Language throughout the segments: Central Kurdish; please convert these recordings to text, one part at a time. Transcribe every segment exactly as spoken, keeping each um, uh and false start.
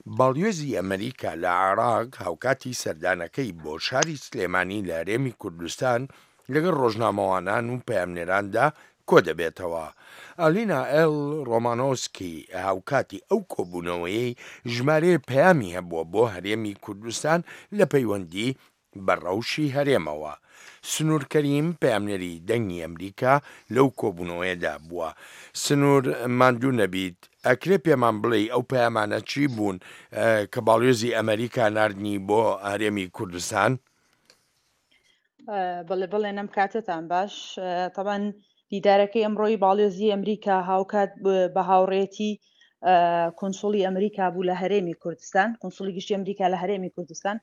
باڵیۆزی ئەمەریکا لە عێراق هاوکاتی سەردانەکەی بۆ شاری سلێمانی لە هەرێمی کوردستان لەگەڵ ڕۆژنامەوانان و پەیامنێراندا کۆدەبێتەوە. ئالینا ئێل ڕۆمانۆسکی هاوکاتی ئەو کۆبوونەوەیەی ژمارەیە پەیامی هەبووە بۆ هەرێمی کوردستان لە پەیوەندی بە ڕەوشی هەرێمەوە. سنوور کەریم، پەیامنێری دەنگی ئەمریکا لەو کۆبوونەوەیەدا بووە. سنوور ماندوو نەبیت، ئەکرێ پێمان بڵێی ئەو پەیامانە چی بوون کە باڵیۆزی ئەمریکا ناردنی بۆ هەرێمی کوردستان؟ بەڵێ بەڵێ نەم کاتتان باش. تەبعەن دیدارەکەی ئەمڕۆی باڵیۆزی ئەمریکا هاوکات بە هاوڕێتی کونسوڵی ئەمریکا بوو لە هەرێمی کوردستان، کونسوڵی گشتی ئەمریکا لە هەرێمی کوردستان.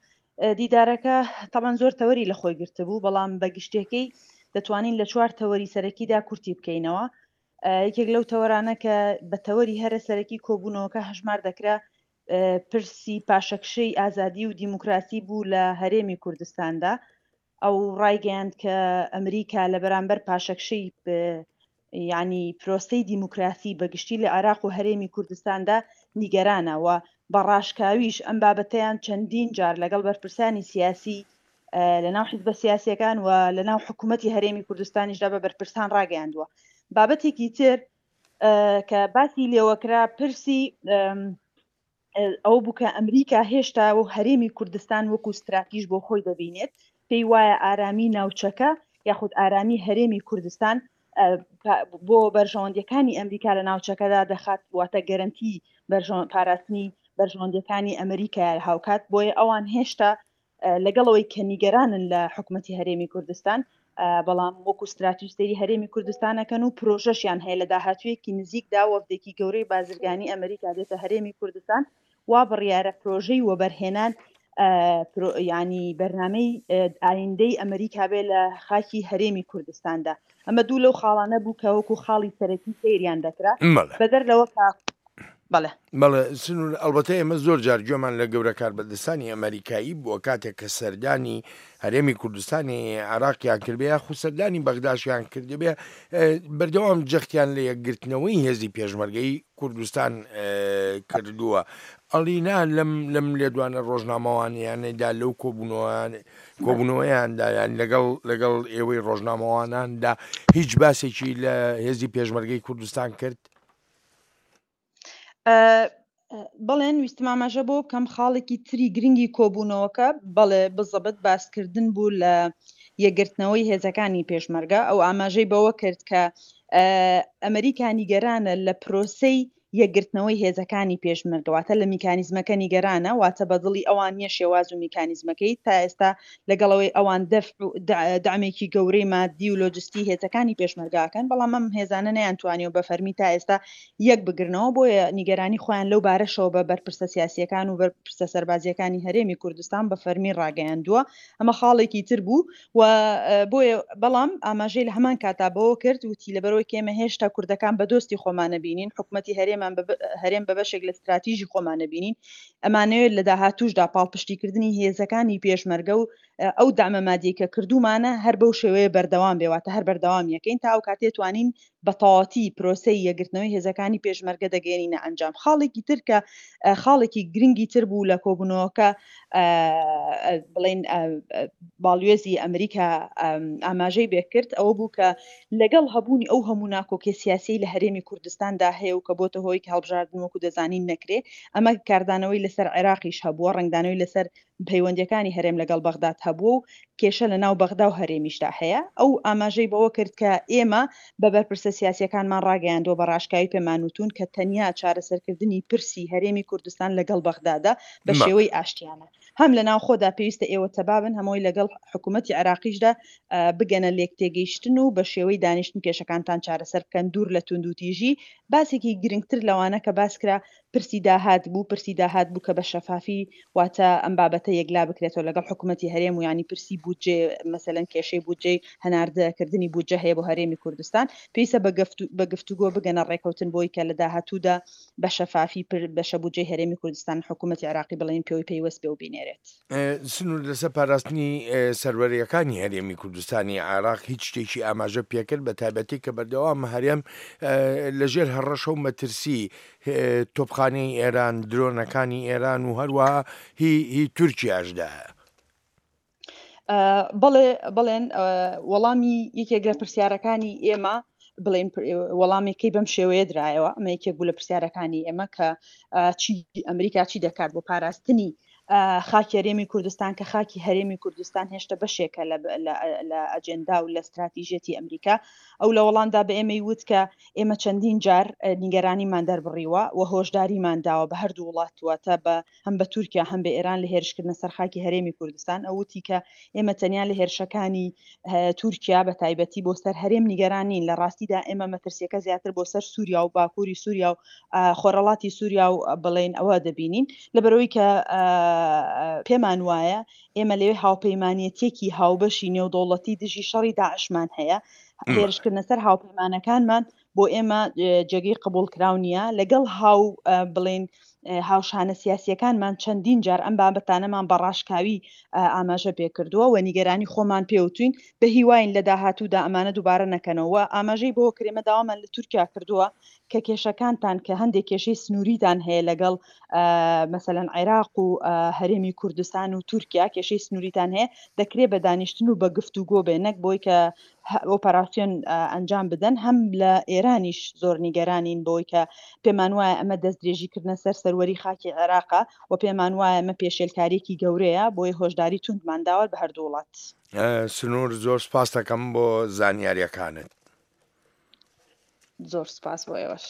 دیدارەکە تەبعەن زۆر تەوەری لە خۆی گرتبوو، بەڵام بە گشتیەکەی دەتوانین لە چوار تەوەری سەرەکیدا کورتی بکەینەوە. یەکێک لەو تەوەرانە کە بە تەوەری هەرە سەرەکی کۆبوونەوەکە هەژمار دەکرا پرسی پاشەکشەی ئازادی و دیموکراسی بوو لە هەرێمی کوردستاندا. ئەو ڕایگەیاند کە ئەمریکا لە بەرامبەر پاشەکشەی یعنی پرۆسەی دیموکراسی بەگشتی لە عێراق و هەرێمی کوردستاندا نیگەرانە و بە ڕاشکاویش ئەم بابەتەیان چەندین جار لەگەڵ بەرپرسانی سیاسی لەناو حیزبە سیاسیەکان و لەناو حکوومەتی هەرێمی کوردستانیشدا بە بەرپرسان ڕاگەیاندووە. بابەتێکی تر کە باسی لێوەکرا پرسی ئەو بوو کە ئەمریکا هێشتا و هەرێمی کوردستان وەکو ستراتیژ بۆ خۆی دەبینێت، پێی وایە ئارامی ناوچەکە یاخود ئارامی هەرێمی کوردستان بۆ بەرژەوەندیەکانی ئەمریکا لە ناوچەکەدا دەخات، واتە گەرەنتی پاراستنی بەرژەوەندیەکانی ئەمریکا هاوکات. بۆیە ئەوان هێشتا لەگەڵەوەی کە نیگەرانن لە حکوومەتی هەرێمی کوردستان، بەڵام وەکو ستراتیژ سەیری هەرێمی کوردستانەکەن و پرۆژەشیان هەیە لە داهاتوویەکی نزیکدا وەفدێکی گەورەی بازرگانی ئەمریکا دێتە هەرێمی کوردستان وا بڕیارە پرۆژەی وەبەرهێنان ینی بەرنامەی ئایندەی ئەمریکا بێ لە خاکی هەرێمی کوردستاندا. ئەمە دوو لەو خاڵانە بوو کە وەکو خاڵی سەرەکی سەیریان دەکرا. بەدەر لەوە کە بەڵێ بەڵێ سنوور، ئەلبەتە ئێمە زۆر جار گوێمان لە گەورە کاربەدەستانی ئەمریکایی بووە کاتێک کە سەردانی هەرێمی کوردستانی عێراقیان کردبێ یاخود سەردانی بەغداشیان کردبێ، بەردەوام جەختیان لە یەکگرتنەوەی هێزی پێشمەرگەی کوردستان کردووە. ئەڵینا لەم لەم لێدوانە ڕۆژنامەوانیانەدا لەو کۆبوونەوەیاندا یان لەگەڵ لەگەڵ ئێوەی ڕۆژنامەواناندا هیچ باسێکی لە هێزی پێشمەرگەی کوردستان کرد؟ بەڵێن ویستم ئاماژە بۆ بکەم خاڵێکی تری گرنگی کۆبوونەوەکە بەڵێ بزەبت باسکردن بوو لە یەکگرتنەوەی هێزەکانی پێشمەرگە. ئەو ئاماژەی بەوە کرد کە ئەمریکا نیگەرانە لە پرۆسەی یەکگرتنەوەی هێزەکانی پێشمەرگە، واتە لە میکانیزمەکە نیگەرانە، واتە بەدڵی ئەوان نییە شێواز و میکانیزمەکەی تا ئێستا لەگەڵەوەی ئەوان دەعمێکی گەورەی مادی و لۆجستی هێزەکانی پێشمەرگاکەن، بەڵام ئەم هێزانە نەیانتوانیوە بە فەرمی تا ئێستا یەک بگرنەوە، بۆیە نیگەرانی خۆیان لەو بارەشەوە بە بەرپرسە سیاسیەکان و بەرپرسە سەربازیەکانی هەرێمی کوردستان بە فەرمی ڕاگەیاندووە. ئەمە خاڵێکی تر بوو و بۆیە بەڵام ئاماژەی لە هەمان کاتا بەوە کرد وتی لەبەرەوەی کە ئێمە هێشتا کوردەکان بە دۆستی خۆمانە بینین، حکوومەتی هەرێمان هەرێم بە بەشێک لە استراتیژی خۆمانە بینین، ئەمانەوێت لە داهاتووشدا پاڵپشتیکردنی هێزەکانی پێشمەرگە و ئەو دامە مادیەی کە کردومانە هەر بەو شێوەیە بەردەوام بێ، واتە هەر بەردەوام یەکەین تا ئەو کاتێ توانین بە تەواوەتی پرۆسەی یەکگرتنەوەی هێزەکانی پێشمەرگە دەگەێنینە ئەنجام. خاڵێکی تر کە خاڵێکی گرنگی تر بوو لە کۆبوونەوەکە بڵین باڵیۆزی ئەمریکا ئاماژەی بێکرد ئەوە بوو کە لەگەڵ هەبوونی ئەو هەموو ناکۆکی سیاسی لە هەرێمی کوردستاندا هەیە و کە بۆتە هۆی کە هەڵبژاردن وەکو دەزانین نەکرێ، ئەمە کاردانەوەی لەسەر عێراقیش هەبووە، ڕەنگدانەوەی لەسەر پەیوەندیەکانی هەرێم لەگەڵ بەغداد هەبووە و کێشە لە ناو بەغدا و هەرێمیشدا هەیە. ئەو ئاماژەی بەوە کرد کە ئێمە بە بەرپرسە سیاسیەکانمان ڕاگەیاندووە بە ڕاشکاوی پێمانوتون کە تەنیا چارەسەرکردنی پرسی هەرێمی کوردستان لەگەڵ بەغدادا بە شێوەی ئاشتیانە، هەم لە ناوخۆدا پێویستە ئێوە تەبابن، هەمووی لەگەڵ حکوومەتی عێراقیشدا بگەنە لێکتێگەیشتن و بە شێوەی دانیشتن کێشەکانتان چارەسەر بکەن دوور لە توندوتیژی. باسێکی گرنگتر لەوانە کە باس کرا پرسی داهات بوو، پرسی داهات بوو کە بە شەفافی واتە ئەم بابەتە یەکلا بکرێتەوە لەگەڵ حکوومەتی هەرێم و ینی پرسی بودجێ، مەسەلەن کێشەی بودجەی هەناردەکردنی بودجە هەیە بۆ هەرێمی کوردستان، پێویستە بە گفتوگۆ بگەنە ڕێکەوتن بۆی کە لە داهاتوودا بە شەفافی بەشە بودجەی هەرێمی کوردستان حکوومەتی عێراقی بڵێن پێوەی پەیوەست بێ و بینێرێت. سنوور لەسەر پاراستنی سەروەرییەکانی هەرێمی کوردستانی عێراق هیچ شتێکی ئاماژە پێکرد، بە تایبەتی کە بەردەوام هەرێم لەژێر هەڕەشە و مەترسی تۆپخانەی ئێران، درۆنەکانی ئێران و هەروەها هی هی تورکیاشدایە. بەڵێ بەڵێن وەڵامی یەکێک لە پرسیارەکانی ئێمە بڵێن وەڵامێکی بەم شێوەیە درایەوە، ئەمە یەکێک بوو لە پرسیارەکانی ئێمە کە چی ئەمریکا چی دەکات بۆ پاراستنی خاکی هەرێمی کوردستان، کە خاکی هەرێمی کوردستان هێشتا بەشێکە لە ئەجێندا و لە استراتیژیەتی ئەمریکا. ئەو لە وەڵامدا بە ئێمەی وت کە ئێمە چەندین جار نیگەرانیمان دەربڕیوە و هۆشداریمان داوە بە هەردوو وڵات، واتە بە هەم بە تورکیا هەم بە ئێران لە هێرشکردنە سەر خاکی هەرێمی کوردستان. ئەو وتی کە ئێمە تەنیا لە هێرشەکانی تورکیا بە تایبەتی بۆ سەر هەرێم نیگەران نین، لە ڕاستیدا ئێمە مەترسیەکە زیاتر بۆ سەر سووریا و باکووری سووریا و خۆرهەڵاتی سووریا و بڵێن ئەوە دەبینین، لەبەرەوەی کە پێمان وایە ئێمە لەوێ هاوپەیمانێتیەکی هاوبەشی نێودەوڵەتی دژی شەڕی داعشمان هەیە. هێرشکردنە سەر هاوپەیمانەکانمان بۆ ئێمە جێگەی قبوڵکراو نییە. لەگەڵ هاو بڵێن هاوشانە سیاسیەکانمان چەندین جار ئەم بابەتانەمان بە ڕاشکاوی ئاماژە پێکردووە و نیگەرانی خۆمان پێوتوین، بە هیواین لە داهاتوودا ئەمانە دووبارە نەکەنەوە. ئاماژەی بۆ کرێمە داوامان لە تورکیا کردووە کە کێشەکانتان کە هەندێک کێشەی سنووریتان هەیە لەگەڵ مەسەلەن عێراق و هەرێمی کوردستان و تورکیا کێشەی سنووریتان هەیە، دەکرێت بە دانیشتن و بە گفتوگۆ بێ، نەک بۆی کە ئۆپەراسیۆن ئەنجام بدەن. هەم لە ئێرانیش زۆر نیگەرانین بۆی کە پێمان وایە ئەمە دەستدرێژیکردنە سەر سەروەری خاکی عێراقە و پێمان وایە ئەمە پێشێلکاریەکی گەورەیە، بۆیە هۆشداری توندمان داوە بە هەردوو وڵات. سنوور، زۆر سپاس دەکەم بۆ زانیاریەکانت. زۆر سپاس بۆ ئێوەش.